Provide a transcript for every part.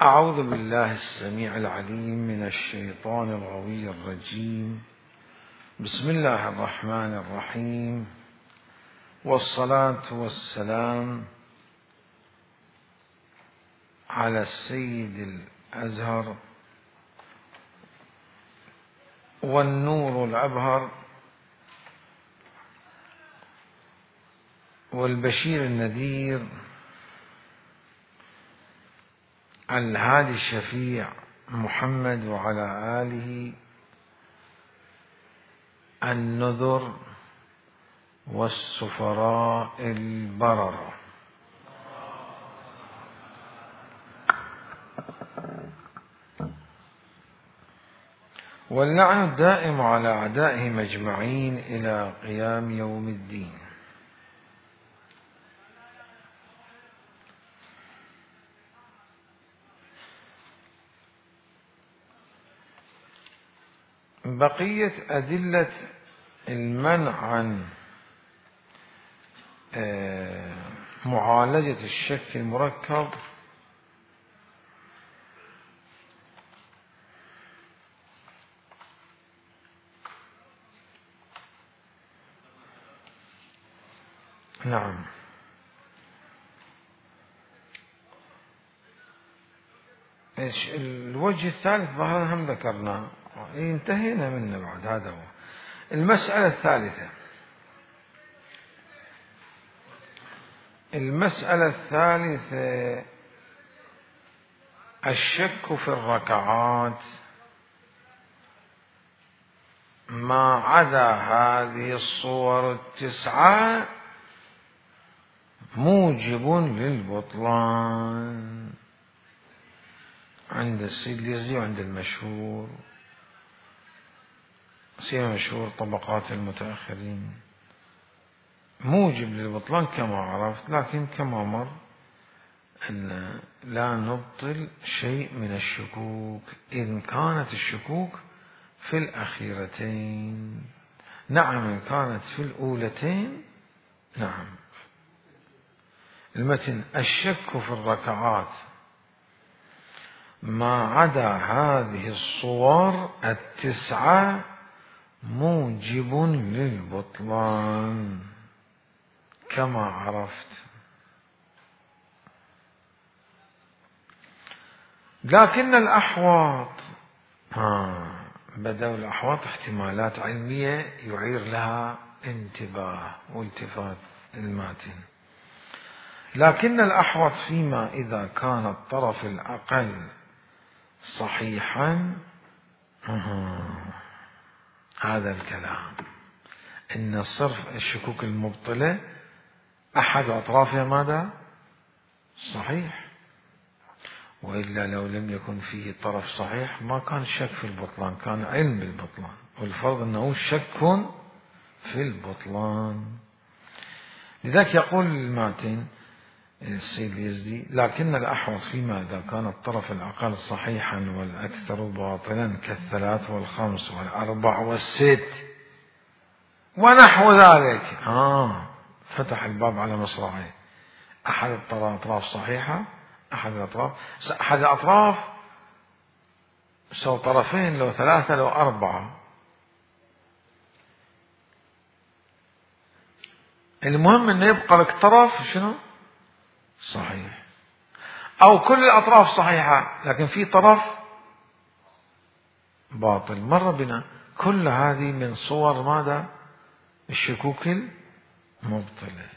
أعوذ بالله السميع العليم من الشيطان الغوي الرجيم. بسم الله الرحمن الرحيم، والصلاة والسلام على السيد الأزهر والنور الأبهر والبشير النذير الهادي الشفيع محمد، وعلى آله النذر والسفراء البررة. واللعن الدائم على أعدائهم أجمعين إلى قيام يوم الدين. بقية أدلة المنع عن معالجة الشك المركب نعم. الوجه الثالث ظهرا هم ذكرناه، انتهينا منه بعد. هذا هو المسألة الثالثة. المسألة الثالثة الشك في الركعات ما عدا هذه الصور التسعة موجب للبطلان عند السيد اليزدي وعند المشهور. سيما مشهور طبقات المتأخرين موجب للبطلان كما عرفت، لكن كما مر أن لا نبطل شيء من الشكوك إن كانت الشكوك في الأخيرتين. نعم إن كانت في الأولتين نعم. المتن الشك في الركعات ما عدا هذه الصور التسعة موجب للبطلان كما عرفت. لكن الأحواط بدأوا الأحواط احتمالات علمية يعير لها انتباه والتفات الماتن. لكن الأحوط فيما إذا كان الطرف الأقل صحيحا، هذا الكلام إن صرف الشكوك المبطلة أحد أطرافها ماذا؟ صحيح، وإلا لو لم يكن فيه طرف صحيح ما كان شك في البطلان، كان علم بالبطلان، والفرض أنه شك في البطلان. لذلك يقول الماتن السيد اليزدي: لكن الأحوط فيما إذا كان الطرف الأقل صحيحا والأكثر باطلا كالثلاث والخمس والأربع والست ونحو ذلك. فتح الباب على مصراعيه. أحد الأطراف صحيحة، أحد الأطراف سو طرفين، لو ثلاثة لو أربعة، المهم أنه يبقى لك طرف شنو صحيح، أو كل الأطراف صحيحة لكن في طرف باطل. مر بنا كل هذه من صور ماذا؟ الشكوك المبطلة.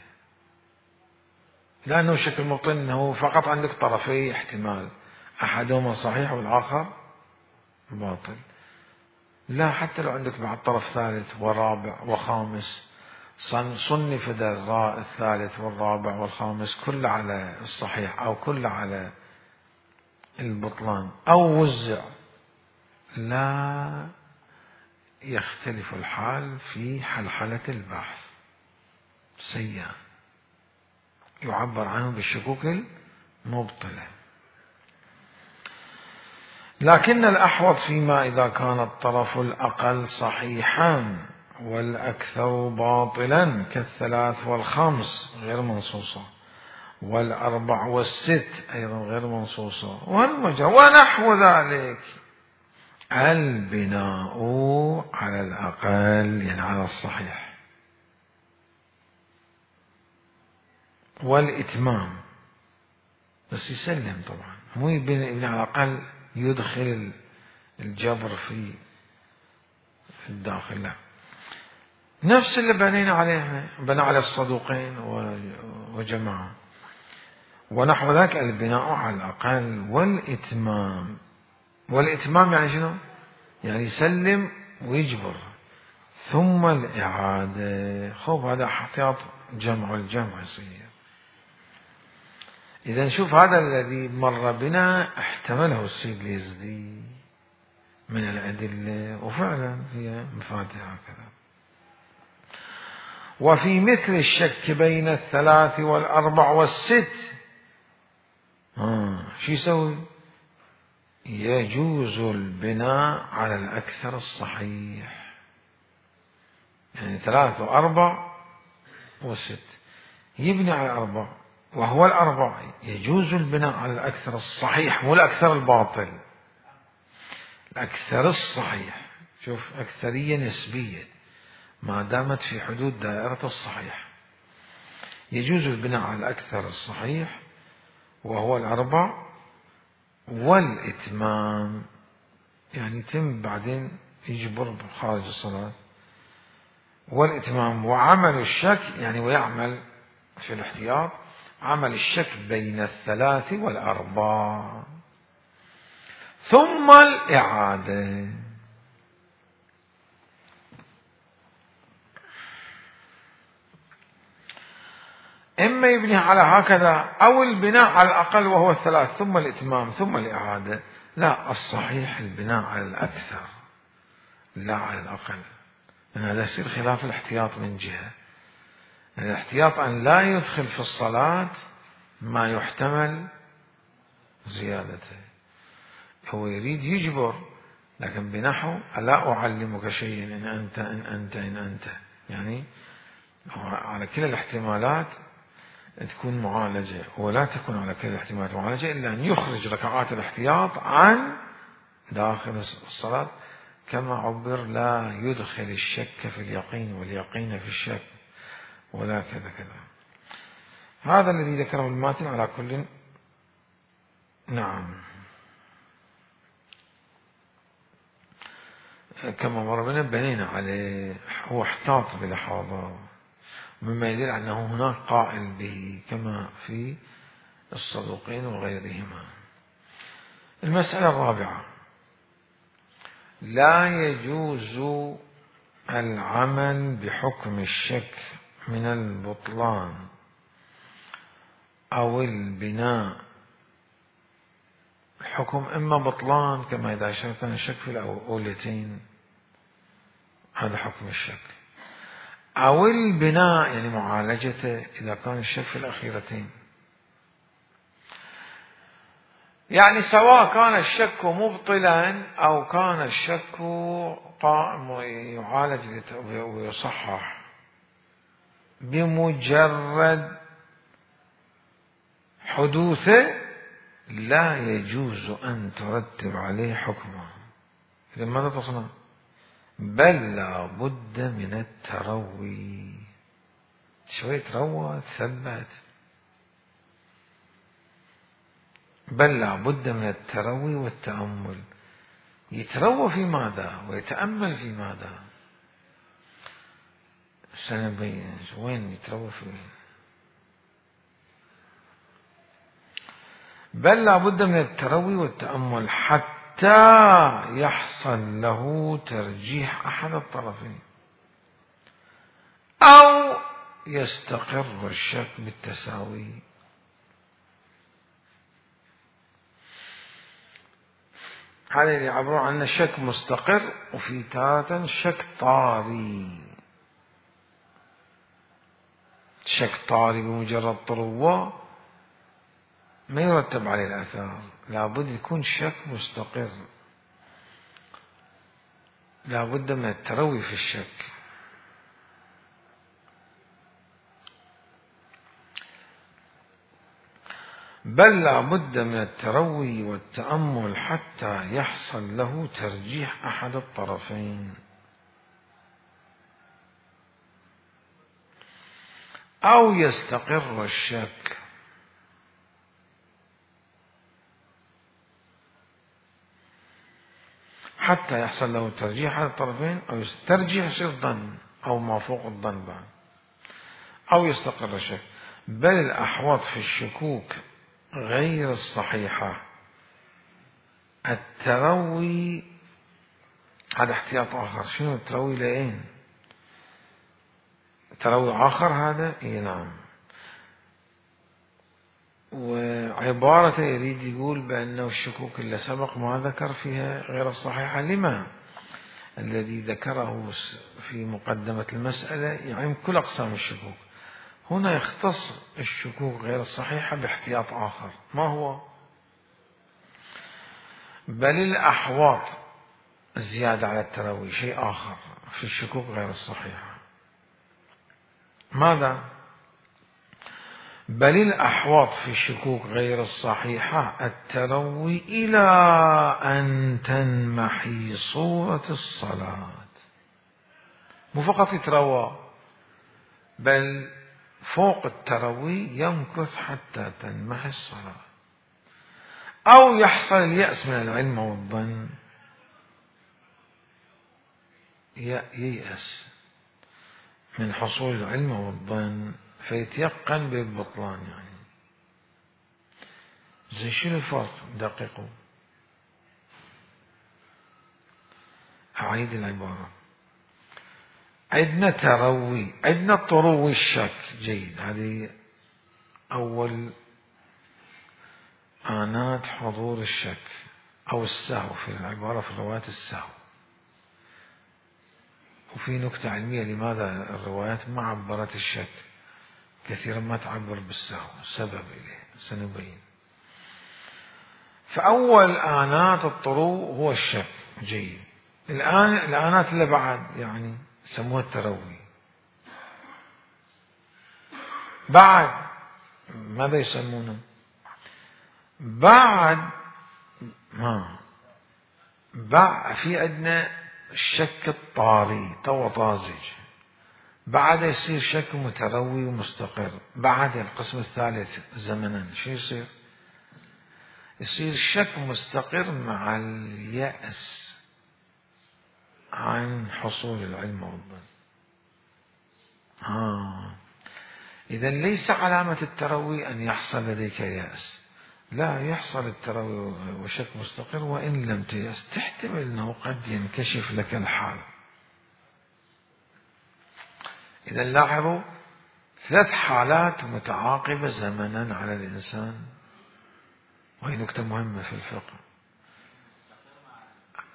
لأنه الشك المبطل أنه فقط عندك طرفي احتمال، أحدهما صحيح والآخر باطل. لا، حتى لو عندك بعد طرف ثالث ورابع وخامس، صنف الثالث والرابع والخامس كل على الصحيح أو كل على البطلان أو وزع، لا يختلف الحال في حلحلة البحث. سيان يعبر عنه بالشكوك المبطلة. لكن الأحوط فيما إذا كان الطرف الأقل صحيحا والأكثر باطلا كالثلاث والخمس غير منصوصة والأربع والست أيضا غير منصوصة والمجرى ونحو ذلك. البناء على الأقل يعني على الصحيح، والإتمام بس يسلم طبعا، مو يبني على الأقل يدخل الجبر في الداخل، لا، نفس اللي بنينا عليه، بنى على الصدوقين وجماعة. ونحو ذلك البناء على الأقل والإتمام. والإتمام يعني شنو؟ يعني يسلم ويجبر ثم الإعادة. خب هذا احتياط جمع الجمع يصير. إذا نشوف هذا الذي مر بنا احتمله السيد اليزدي من الأدلة، وفعلا هي مفاتيح هكذا. وفي مثل الشك بين الثلاث والأربع والست شو يسوي؟ يجوز البناء على الأكثر الصحيح، يعني 3 و4 و6 يبني على 4 وهو الأربع، يجوز البناء على الأكثر الصحيح مو الأكثر الباطل، الأكثر الصحيح. شوف أكثرية نسبية ما دامت في حدود دائرة الصحيح. يجوز البناء على الأكثر الصحيح وهو الأربع، والإتمام يعني يتم بعدين يجبر خارج الصلاة، والإتمام. وعمل الشك يعني ويعمل في الاحتياط عمل الشك بين الثلاث والأربع ثم الإعادة. إما يبني على هكذا أو البناء على الأقل وهو 3 ثم الإتمام ثم الإعادة. لا، الصحيح البناء على الأكثر لا على الأقل، لأن هذا يصير خلاف الاحتياط من جهة. الاحتياط أن لا يدخل في الصلاة ما يحتمل زيادته، هو يريد يجبر لكن بنحو ألا أعلمك شيئا إن أنت يعني على كل الاحتمالات تكون معالجة، ولا تكون على كل الاحتمالات معالجة إلا أن يخرج ركعات الاحتياط عن داخل الصلاة، كما عبر لا يدخل الشك في اليقين واليقين في الشك ولا كذا كذا. هذا الذي ذكره الماتن على كل. نعم، كما مر بنا بنينا عليه، هو احتاط بلحاظة مما يدل أنه هناك قائل به كما في الصدوقين وغيرهما. المسألة الرابعة: لا يجوز العمل بحكم الشك من البطلان أو البناء. الحكم إما بطلان كما إذا كان الشك في الأولتين، هذا حكم الشك، أو البناء يعني معالجته إذا كان الشك في الأخيرتين. يعني سواء كان الشك مبطلا أو كان الشك قائم يعالج ويصحح، بمجرد حدوثه لا يجوز أن ترتب عليه حكمه. إذا ماذا تصنع؟ بل لا بد من التروي، شوية تروى تثبت، بل لا بد من التروي والتأمل. يتروى في ماذا ويتأمل في ماذا؟ سنبين وين يتروى في وين. بل لا بد من التروي والتأمل حتى يحصل له ترجيح أحد الطرفين أو يستقر الشك بالتساوي. هذا اللي يعبرون عن الشك مستقر، وفي تارة شك طاري. شك طاري بمجرد طروة ما يرتب عليه الآثار، لابد يكون شك مستقر، لابد من التروي في الشك. بل لا بد من التروي والتأمل حتى يحصل له ترجيح أحد الطرفين أو يستقر الشك. حتى يحصل له ترجيح أحد الطرفين أو ترجيح يصير ظن أو ما فوق الظن بعد، أو يستقر الشك. بل الأحوط في الشكوك غير الصحيحة التروي. هذا احتياط آخر. شنو التروي لأين؟ تروي آخر هذا؟ اي نعم. وعبارة يريد يقول بأنه الشكوك اللي سبق ما ذكر فيها غير الصحيحة. لما؟ الذي ذكره في مقدمة المسألة يعم كل أقسام الشكوك، هنا يختص الشكوك غير الصحيحة باحتياط آخر. ما هو؟ بل الأحواط زيادة على التروي شيء آخر في الشكوك غير الصحيحة. ماذا؟ بل الأحوط في الشكوك غير الصحيحة التروي إلى أن تنمحي صورة الصلاة. مو فقط يتروى، بل فوق التروي يمكث حتى تنمحي الصلاة، أو يحصل اليأس من العلم والظن. ييأس من حصول العلم والظن فيتيقن بالبطلان. يعني زي شنو الفرق؟ دققوا. أعيد العبارة. عندنا تروي، عندنا طروي الشك. جيد، هذه أول آنات حضور الشك أو السهو في العبارة في الروايات السهو. وفي نكتة علمية لماذا الروايات ما عبرت الشك كثيرا، ما تعبر بالسهو، سبب إليه سنبين. فأول آنات الطرو هو الشك. جيد. الآن الآنات اللي بعد يعني سموها التروي. بعد ماذا يسمونه؟ بعد في عندنا الشك الطاري تو طازج، بعد يصير شك متروي ومستقر. بعد القسم الثالث زمنا شو يصير؟ يصير شك مستقر مع اليأس عن حصول العلم والظن. إذن ليس علامة التروي أن يحصل لديك يأس، لا، يحصل التروي وشك مستقر وإن لم تيأس، تحتمل أنه قد ينكشف لك الحال. إذن لاحظوا 3 حالات متعاقبة زمنا على الإنسان، وهي نكتة مهمة في الفقه.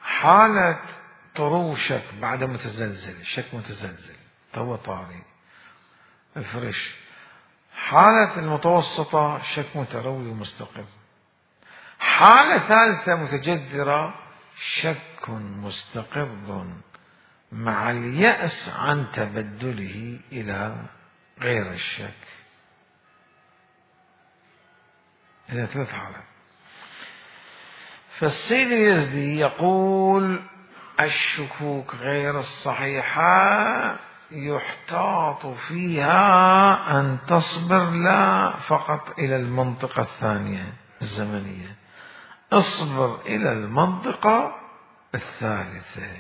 حالة طرو شك بعد متزلزل، شك متزلزل تو طاري افرش. حالة المتوسطة شك متروي ومستقر. حالة ثالثة متجذرة شك مستقر مع اليأس عن تبدله إلى غير الشك. إلى 3 حالات. فالسيد اليزدي يقول الشكوك غير الصحيحة يحتاط فيها أن تصبر لا فقط إلى المنطقة الثانية الزمنية، اصبر إلى المنطقة الثالثة.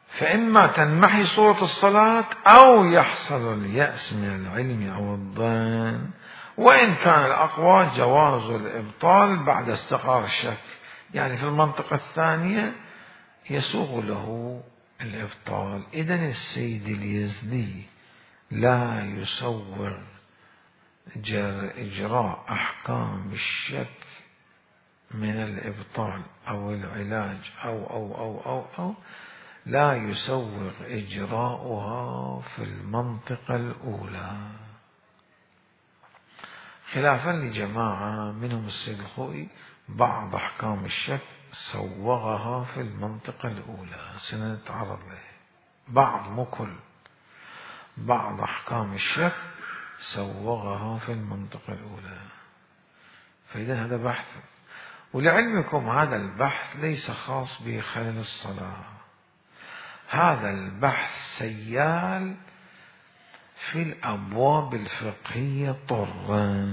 فإما تنمحي صورة الصلاة أو يحصل اليأس من العلم أو الظن، وإن كان الأقوى جواز الإبطال بعد استقرار الشك. يعني في المنطقة الثانية يسوغ له الإبطال. إذن السيد اليزدي لا يسوغ إجراء أحكام الشك من الإبطال أو العلاج أو لا يسوغ إجراؤها في المنطقة الأولى، خلافا لجماعة منهم السيد الخوئي. بعض أحكام الشك سوغها في المنطقة الأولى، سنتعرض له. بعض، مو كل، بعض أحكام الشك سوغها في المنطقة الأولى. فإذا هذا بحث، ولعلمكم هذا البحث ليس خاص بخلل الصلاة، هذا البحث سيال في الأبواب الفقهية طرا،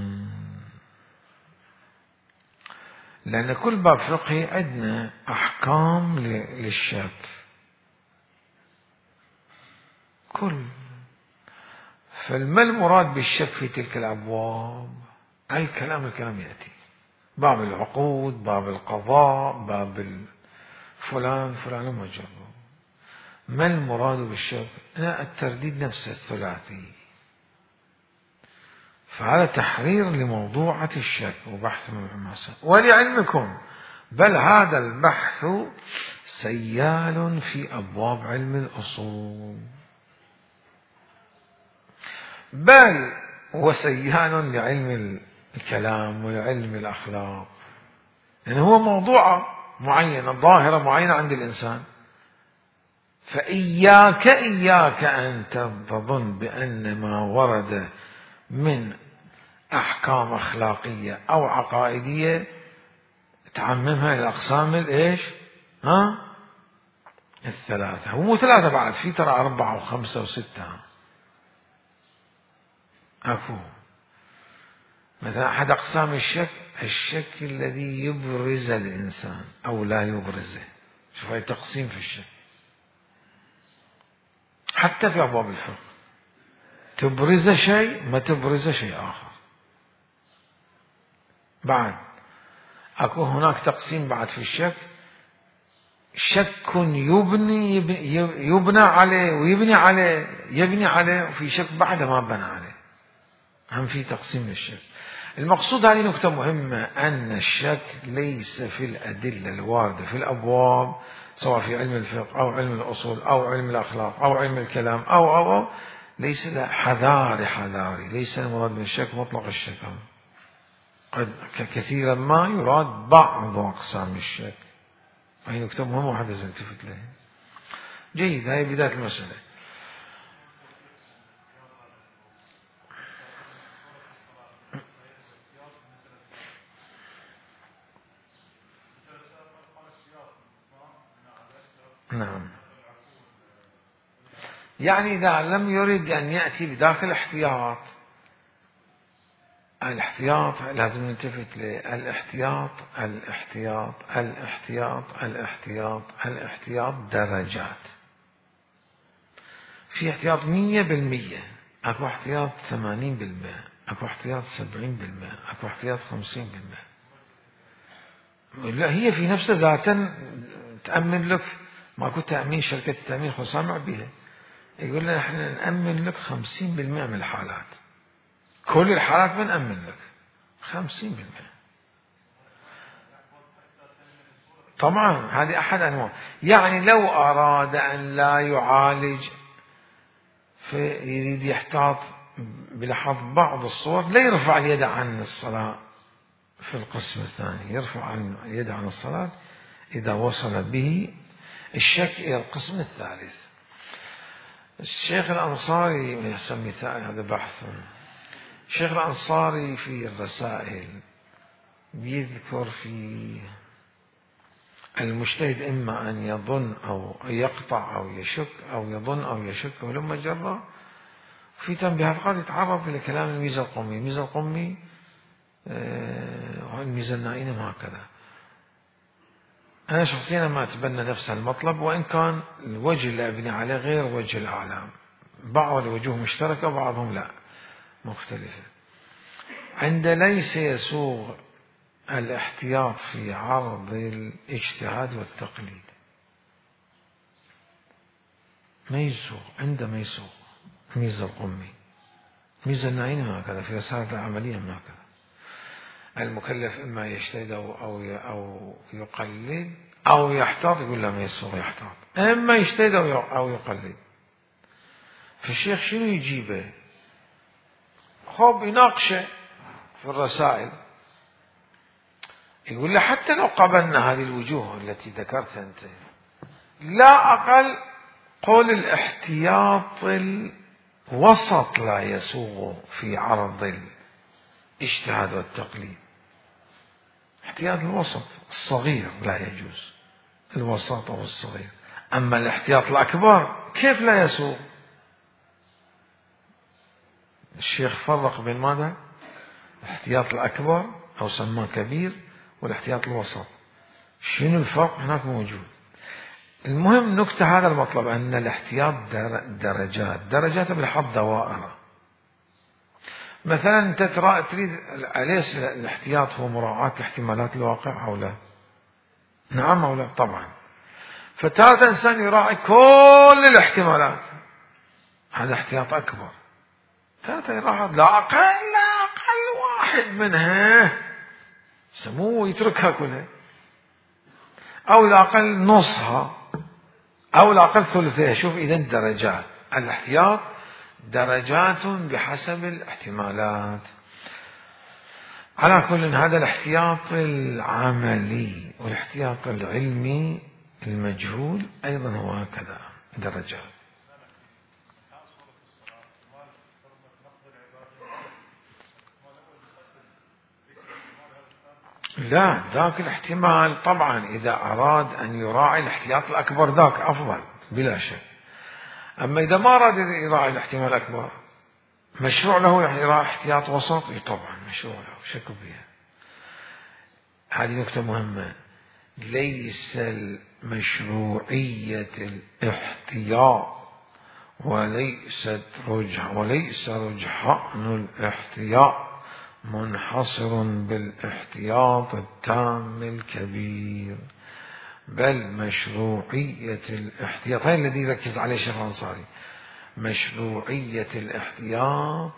لأن كل باب فقهي عندنا أحكام للشك فما المراد بالشك في تلك الأبواب؟ الكلام يأتي باب العقود، باب القضاء، باب فلان ومجرد. ما المراد بالشك؟ الترديد نفسه الثلاثي. فهذا تحرير لموضوعة الشك وبحث المعمسة. ولعلمكم بل هذا البحث سيال في أبواب علم الأصول، بل وسيال لعلم الكلام وعلم الأخلاق، يعني هو موضوع معينة، ظاهرة معينة عند الإنسان. فإياك أن تظن بأن ما ورد من أحكام أخلاقية أو عقائدية تعممها إلى الأقسام الثلاثة. هو مو ثلاثة بعد، في ترى 4 و5 و6 أكو. مثلا أحد أقسام الشك الذي يبرز الإنسان أو لا يبرزه. شوف هاي تقسيم في الشك حتى في أبواب الفقه، تبرز شيء ما تبرز شيء آخر. بعد أكو هناك تقسيم بعد في الشك، شك يبنى عليه يبني عليه، وفي شك بعد ما بنى عليه. هم في تقسيم للشك. المقصود هذه نقطة مهمة، أن الشك ليس في الأدلة الواردة في الأبواب، سواء في علم الفقه أو علم الأصول أو علم الأخلاق أو علم الكلام أو ليس حذاري، ليس المراد من الشك مطلق الشك. قد كثيرا ما يراد بعض أقسام الشك. هذه نقطة مهمة وحد التفت لها. جيد، هذه بداية المسألة. نعم، يعني إذا لم يرد أن يأتي بذاك الاحتياط لازم نلتفت الاحتياط درجات. في احتياط 100%، اكو احتياط 80%، اكو احتياط 70%، اكو احتياط 50%. لا، هي في نفسها ذاتا تأمن لك. ماكو تأمين، شركة التأمين خو سامع بها، يقول لنا احنا نأمن لك 50% من الحالات، كل الحالات بنأمن لك 50%. طبعا هذه أحد أنواع. يعني لو أراد أن لا يعالج فيريد يحتاط بلحظ بعض الصور، لا يرفع اليد عن الصلاة في القسم الثاني، يرفع اليد عن الصلاة إذا وصل به الشك إلى القسم الثالث. الشيخ الأنصاري يسمي هذا بحث. الشيخ الأنصاري في الرسائل بيذكر في المجتهد إما أن يظن أو يقطع أو يشك، أو يظن أو يشك ولما جرى. في تنبيهات قد يتعرض إلى كلام الميزة القمي والميزة النائنة هكذا. أنا شخصيا ما أتبنى نفس المطلب، وإن كان الوجه اللي أبني عليه غير وجه الأعلام، بعض الوجوه مشتركة وبعضهم لا مختلفة. عند ليس يسوغ الاحتياط في عرض الاجتهاد والتقليد، ما يسوغ، عندما يسوغ ميزة القمي، ميزة النائنة هكذا في رسالة العملية هكذا. المكلف إما يجتهد أو يقلد أو يحتاط، يقول لا ما يسوغ يحتاط، إما يجتهد أو يقلد. فالشيخ شنو يجيبه؟ خب يناقشه في الرسائل، يقول له حتى لو قبلنا هذه الوجوه التي ذكرتها أنت، لا أقل قول الاحتياط وسط لا يسوغ في عرض الاجتهاد والتقليد. احتياط الوسط الصغير لا يجوز، الوسط أو الصغير. أما الاحتياط الأكبر كيف لا يسوغ؟ الشيخ فرق بين ماذا؟ الاحتياط الأكبر أو سماه كبير والاحتياط الوسط. شنو الفرق هناك موجود. المهم نكتة هذا المطلب أن الاحتياط درجات بالحظ دوائر. مثلا أنت تريد أليس الاحتياط هو مراعاة احتمالات الواقع أو لا؟ نعم أو لا؟ طبعا. فتارة إنسان يراعي كل الاحتمالات، هذا احتياط أكبر. تارة يراعي لا أقل واحد منها سموه يتركها كلها، أو لا أقل نصها، أو لا أقل ثلثها. شوف إذا درجات الاحتياط درجات بحسب الاحتمالات. على كل هذا الاحتياط العملي، والاحتياط العلمي المجهول أيضا هو هكذا درجات. لا، ذاك الاحتمال طبعا إذا أراد أن يراعي الاحتياط الأكبر ذاك أفضل بلا شك. أما إذا ما أراد يراعي الاحتمال الأكبر، مشروع له يراعي احتياط وسط، طبعا مشروع له شك بها. هذه نكتة مهمة. ليس مشروعية الاحتياط وليس رجحان الاحتياط منحصر بالاحتياط التام الكبير، بل مشروعية الاحتياط، هذا الذي يركز عليه الشيخ الأنصاري، مشروعية الاحتياط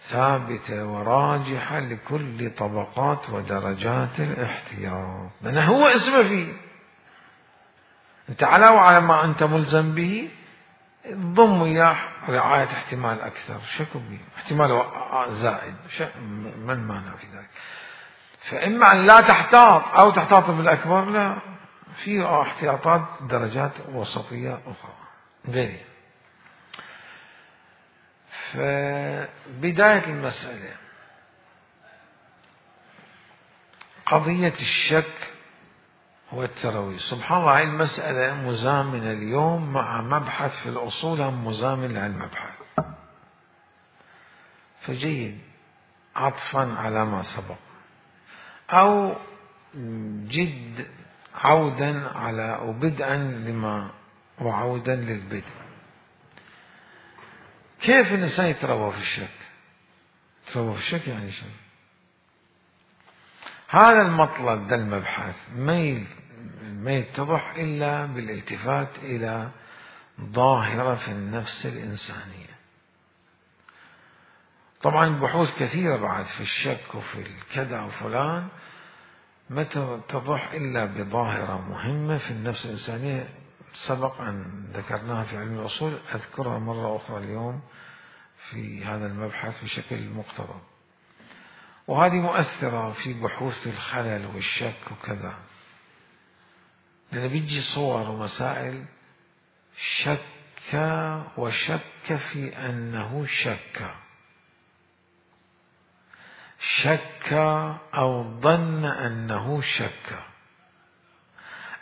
ثابتة وراجحة لكل طبقات ودرجات الاحتياط، لأنه هو اسمه فيه. أنت على ما أنت ملزم به ضم وياه رعاية احتمال أكثر، شكو به احتمال زائد، ما المانع في ذلك؟ فإما أن لا تحتاط أو تحتاط بالأكبر، لا، في احتياطات درجات وسطية أخرى غيرها. فبداية المسألة قضية الشك والتروي. سبحان الله، هذه المسألة مزامنة اليوم مع مبحث في الأصول هم مزامن للمبحث، فجيد عطفا على ما سبق أو جد عودا على وبدءا لما وعودا للبدء. كيف الإنسان يتروى في الشك؟ يتروى في الشك يعني شيء. هذا المطلب ده المبحث ما يتضح إلا بالالتفات إلى ظاهرة في النفس الإنسانية. طبعا بحوث كثيرة بعد في الشك وفي الكذا وفلان ما تتضح إلا بظاهرة مهمة في النفس الإنسانية سبق أن ذكرناها في علم الأصول، أذكرها مرة أخرى اليوم في هذا المبحث بشكل مقتضب، وهذه مؤثرة في بحوث الخلل والشك وكذا، لأن بيجي صور ومسائل شك وشك في أنه شك أو ظن أنه شك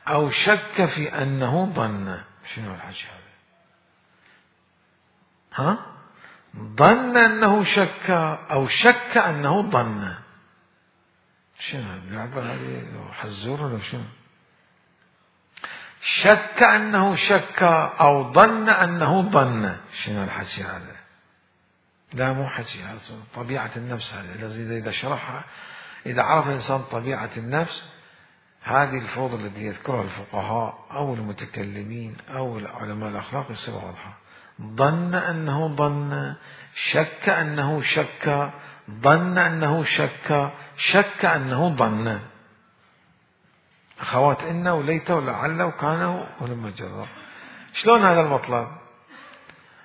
أو شك في أنه ظن. شنو الحكي هذا؟ ظن أنه شك أو شك أنه ظن. شنو اللعبة هذه؟ حزور ولا شنو؟ شك أنه شك أو ظن أنه ظن. شنو الحكي هذا؟ لا، مو حكي، هذا طبيعة النفس. هذا إذا شرحها، إذا عرف الإنسان طبيعة النفس، هذه الفوضى التي يذكرها الفقهاء أو المتكلمين أو علماء الأخلاق يصير واضحة. ظن أنه ظن، شك أنه شك، ظن أنه شك، شك أنه ظن. أخوات إن وليت ولعل وكان ولما جرى. شلون هذا المطلب؟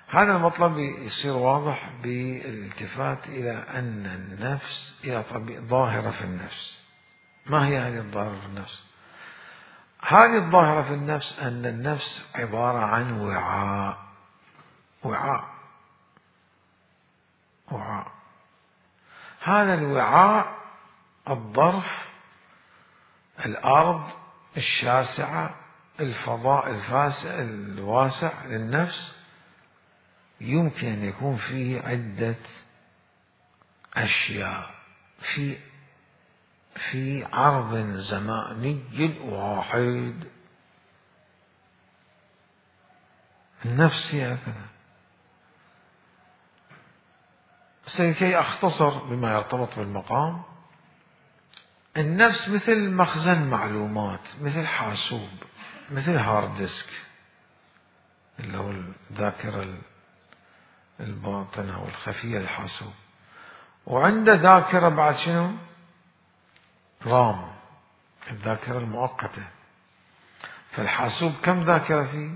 هذا المطلب يصير واضح بالالتفات إلى أن النفس إلى ظاهرة في النفس. ما هي هذه الظاهرة في النفس؟ هذه الظاهرة في النفس أن النفس عبارة عن وعاء. وعاء. هذا الوعاء الظرف، الأرض الشاسعة، الفضاء الواسع للنفس، يمكن أن يكون فيه عدة أشياء في عرض زماني واحد. النفس هي هكذا. لكي أختصر بما يرتبط بالمقام، النفس مثل مخزن معلومات، مثل حاسوب، مثل هارد ديسك اللي هو الذاكرة الباطنة والخفية الحاسوب، وعنده ذاكرة بعد شنو؟ رام، الذاكرة المؤقتة. فالحاسوب كم ذاكرة فيه؟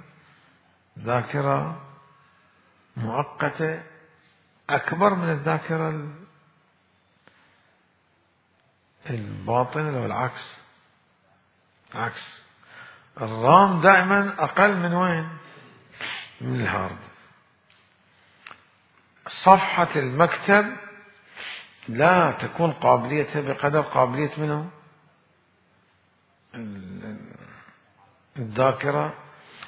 ذاكرة مؤقتة أكبر من الذاكرة الباطنة، لو العكس. عكس الرام دائما أقل من وين؟ من الهارد. صفحة المكتب لا تكون قابليتها بقدر قابلية منه الذاكرة.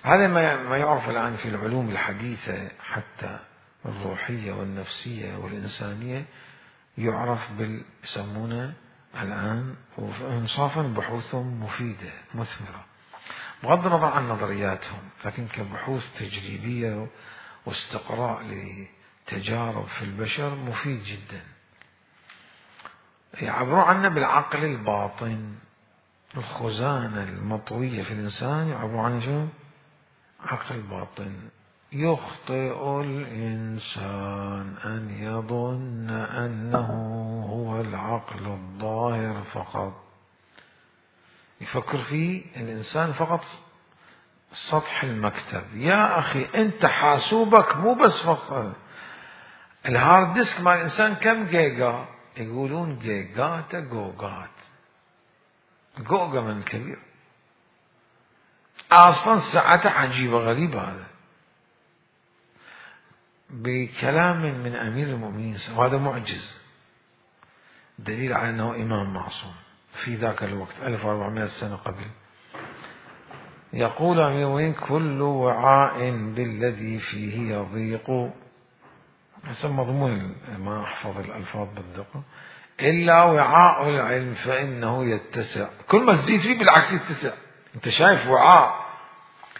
هذا ما يعرف الآن في العلوم الحديثة حتى الروحية والنفسية والإنسانية، يعرف يسمونه الآن، وإنصافا بحوثهم مفيدة مثمرة بغض النظر عن نظرياتهم، لكن كبحوث تجريبية واستقراء لتجارب في البشر مفيد جدا. يعبروا عنه بالعقل الباطن، الخزانة المطوية في الإنسان يعبروا عنه شو؟ عقل باطن. يخطئ الإنسان أن يظن أنه هو العقل الظاهر فقط. يفكر فيه الإنسان فقط سطح المكتب. يا أخي أنت حاسوبك مو بس فقط الهارد ديسك مع الإنسان كم جيجا؟ يقولون جيجات جوجات، جوجا من كبير أصلا ساعته عجيبة غريبة. هذا بكلام من أمير المؤمنين، وهذا معجز دليل على أنه إمام معصوم في ذاك الوقت 1400 سنة قبل. يقول أمير المؤمنين: كل وعاء بالذي فيه يضيق، حسب مضمون ما أحفظ الألفاظ بالدقة، إلا وعاء العلم فإنه يتسع. كل ما تزيد فيه بالعكس يتسع. أنت شايف وعاء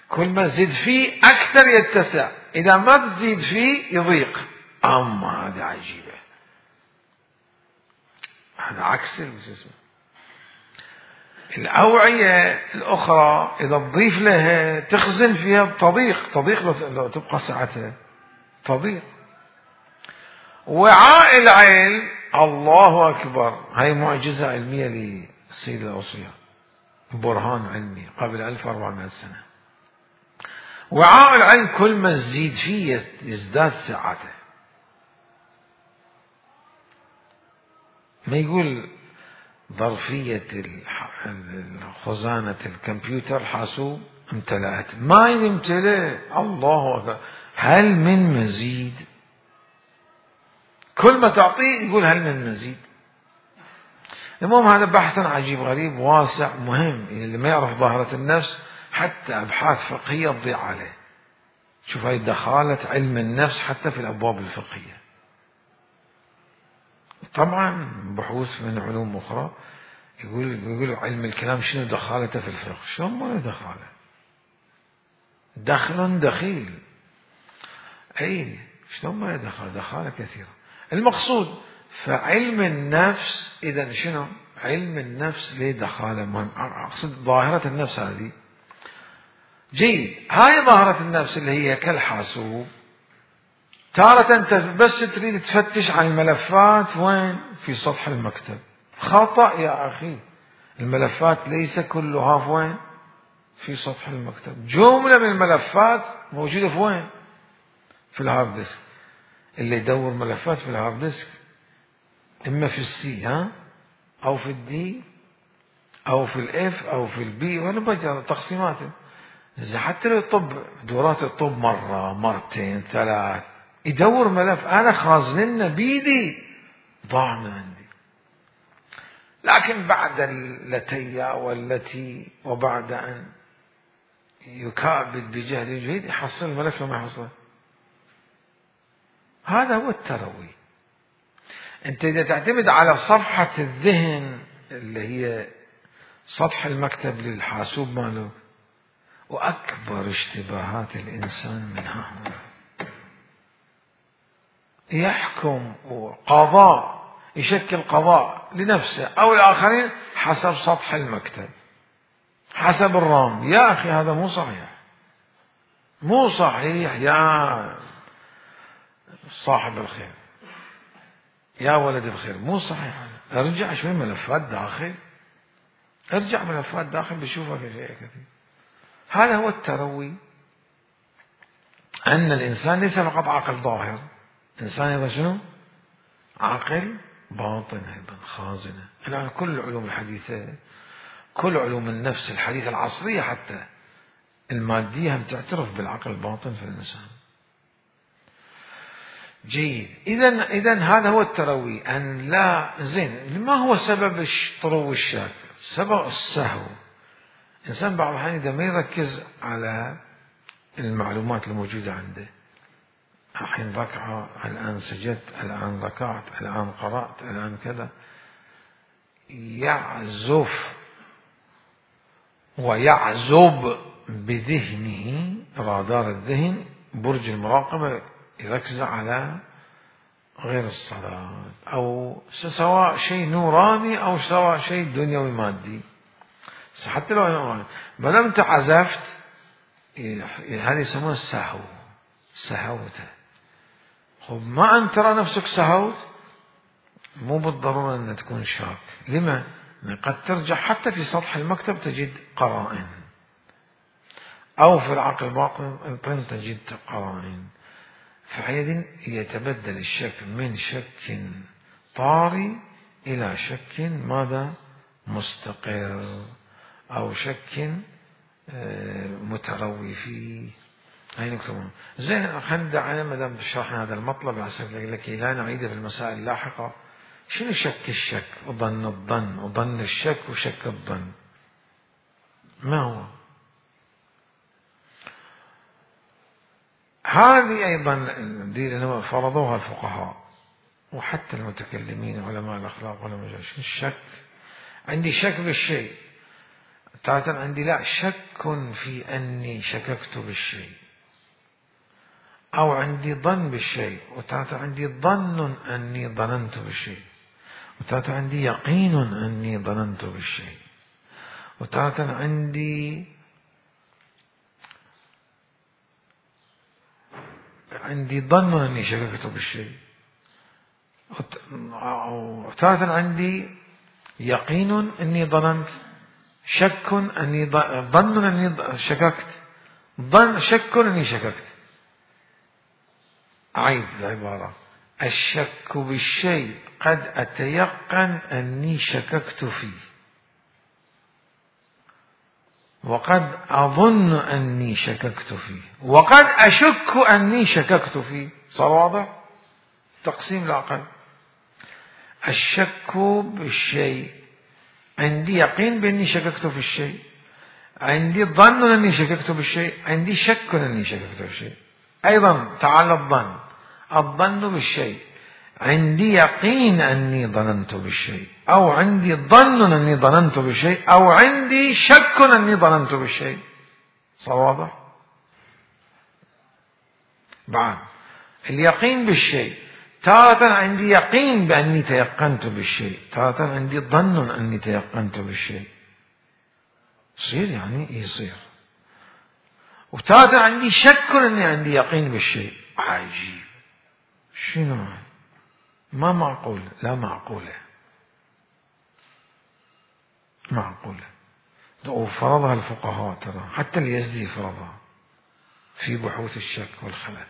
كل ما تزيد فيه أكثر يتسع، إذا ما تزيد فيه يضيق. أما هذه عجيبة، هذا عكس الجسم. الأوعية الأخرى إذا تضيف لها تخزن فيها تضيق لو تبقى ساعتها تضيق. وعاء العلم، الله أكبر، هاي معجزة علمية للسيد الأوصياء، برهان علمي قبل 1400 سنة. وعاء العلم كل ما تزيد فيه يزداد سعته. ما يقول ظرفية خزانة الكمبيوتر حاسوب امتلأت، ما يمتلئ. الله أكبر، هل من مزيد؟ كل ما تعطيه يقول هل من مزيد. المهم هذا بحث عجيب غريب واسع مهم، اللي ما يعرف ظاهرة النفس حتى أبحاث فقهية تضيع عليه. شوف هاي دخالة علم النفس حتى في الأبواب الفقهية. طبعا بحوث من علوم أخرى يقول علم الكلام شنو دخالته في الفقه؟ شو ما دخاله؟ دخل دخيل. أي شلون ما دخاله كثيرة. المقصود فعلم النفس إذا شنو؟ علم النفس ليه دخاله مهم. أقصد ظاهرة النفس هذه جيد. هاي ظاهرة النفس اللي هي كالحاسوب، تارة أنت بس تريد تفتش عن الملفات وين؟ في سطح المكتب. خطأ يا أخي، الملفات ليس كلها في وين؟ في سطح المكتب. جملة من الملفات موجودة في وين؟ في الهارد ديسك. اللي يدور ملفات في الهارد ديسك إما في السي أو في الدي أو في الإف أو في البي، ولا بجرى تقسيماته. إذا حتى لو يطب دورات الطب مرة مرتين ثلاث يدور ملف أنا خازننا بيدي ضاع من عندي. لكن بعد التي والتي وبعد أن يكابد بجهد جهد يحصل الملف وما يحصله. هذا هو التروي. أنت إذا تعتمد على صفحة الذهن اللي هي سطح المكتب للحاسوب مالك، وأكبر اشتباهات الإنسان من هنا يحكم قضاء، يشكل قضاء لنفسه أو الآخرين حسب سطح المكتب، حسب الرام. يا أخي هذا مو صحيح، مو صحيح يا صاحب الخير، يا ولد الخير، مو صحيح. ارجع شوي ملفات داخل، ارجع ملفات داخل بشوفك شيء كثير. هذا هو التروي، أن الإنسان ليس فقط عقل ظاهر، إنسان أيضا شنو؟ عقل باطن أيضا، خازنة. الآن كل العلوم الحديثة، كل علوم النفس الحديثة العصرية حتى المادية هم تعترف بالعقل الباطن في الإنسان. جيد. إذن هذا هو التروي. أن لا زين. ما هو سبب طرو الشك؟ سبب السهو. إنسان بعض الأحيان إذا ما يركز على المعلومات الموجودة عنده، الحين ركعة، الآن سجدت، الآن ركعت، الآن قرأت، الآن كذا، يعزف ويعزب بذهنه، رادار الذهن، برج المراقبة، يركز على غير الصلاة، أو سواء شيء نوراني أو سواء شيء دنيوي مادي. حتى لو نوراني ما دام أنت عزفت، هذا يسمونه السهو، سهوت. خب ما أنت ترى نفسك سهوت، مو بالضرورة أن تكون شاك. لما؟ قد ترجع حتى في سطح المكتب تجد قرائن، أو في العقل الباطن تجد قرائن. فحينئذ يتبدل الشك من شك طاري إلى شك ماذا؟ مستقر، أو شك متروي فيه. هاي نكتبون زين. خلينا ما دام شرحنا هذا المطلب لكي لا نعيده في المسائل اللاحقة. شنو شك الشك وظن الظن وظن الشك وشك الظن؟ ما هو؟ هذه أيضا فرضوها الفقهاء وحتى المتكلمين علماء الأخلاق علماء الشك. عندي شك بالشيء، تارة عندي لا شك في أني شككت بالشيء، أو عندي ظن بالشيء، وتارة عندي ظن أني ظننت بالشيء، وتارة عندي يقين أني ظننت بالشيء، وتارة عندي ظن أني شككت بالشيء، وتارة عندي يقين أني ظننت، شك أني ظن أني شككت، شك أني شككت. أعيد العبارة: الشك بالشيء قد أتيقن أني شككت فيه، وقد أظن أني شككت فيه، وقد أشك أني شككت فيه. صار واضح؟ تقسيم العقل. الشك بالشيء، عندي يقين بأني شككت في الشيء، عندي ظن أني شككت بالشيء، عندي شك أني شككت بالشيء. أيضا تعالى الظن بالشيء، عندي يقين أني ظننت بالشيء، أو عندي ظن أني ظننت بالشيء، أو عندي شك أني ظننت بالشيء. صار واضح؟ بعد اليقين بالشيء، تارة عندي يقين بأني تيقنت بالشيء، تارة عندي ظن أني تيقنت بالشيء. يصير يعني يصير. وتارة عندي شك أني عندي يقين بالشيء. عجيب. شنو؟ ما معقول. لا معقولة، معقولة. وفرضها الفقهاء ترى، حتى اليزدي فرضها في بحوث الشك والخلل.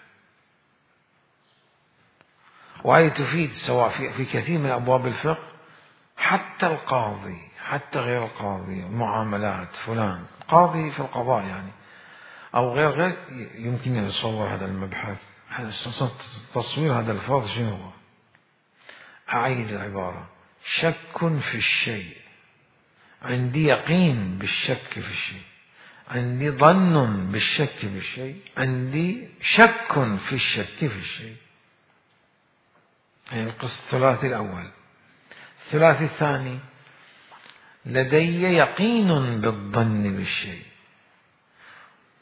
وهي تفيد سواء في كثير من أبواب الفقه، حتى القاضي، حتى غير القاضي، معاملات فلان قاضي في القضاء يعني، أو غير يمكن أن يتصور هذا المبحث. تصوير هذا الفرض شنو هو؟ أعيد العبارة: شك في الشيء، عندي يقين بالشك في الشيء، عندي ظن بالشك في الشيء، عندي شك في الشك في الشيء. يعني القسم الثلاثي الأول. الثلاثي الثاني: لدي يقين بالظن بالشيء،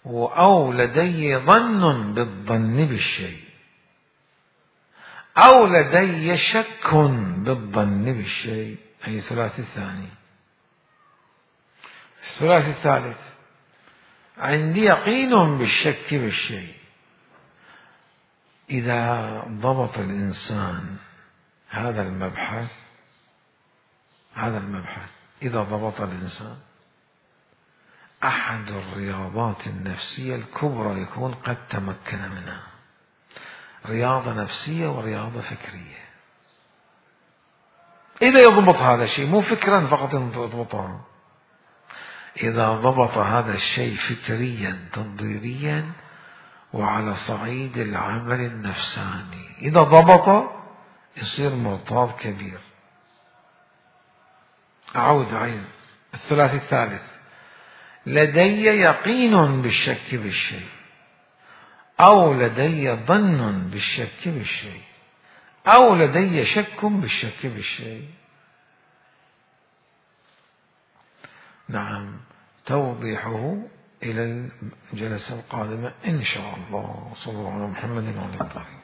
أو لدي ظن بالظن بالشيء، أو لدي شك بالظن بالشيء. أي الثلاثي الثاني. الثلاثي الثالث: عندي يقين بالشك بالشيء. إذا ضبط الإنسان هذا المبحث إذا ضبط الإنسان أحد الرياضات النفسية الكبرى يكون قد تمكن منها، رياضة نفسية ورياضة فكرية. إذا يضبط هذا الشيء، مو فكرا فقط يضبطها، إذا ضبط هذا الشيء فكريا تنظيريا وعلى صعيد العمل النفساني، إذا ضبط يصير مرتاض كبير. أعود. الثلاثي الثالث: لدي يقين بالشك بالشيء، أو لدي ظن بالشك بالشيء، أو لدي شك بالشك بالشيء. نعم، توضيحه إلى الجلسة القادمة إن شاء الله. صلى الله على محمد وعلى آله.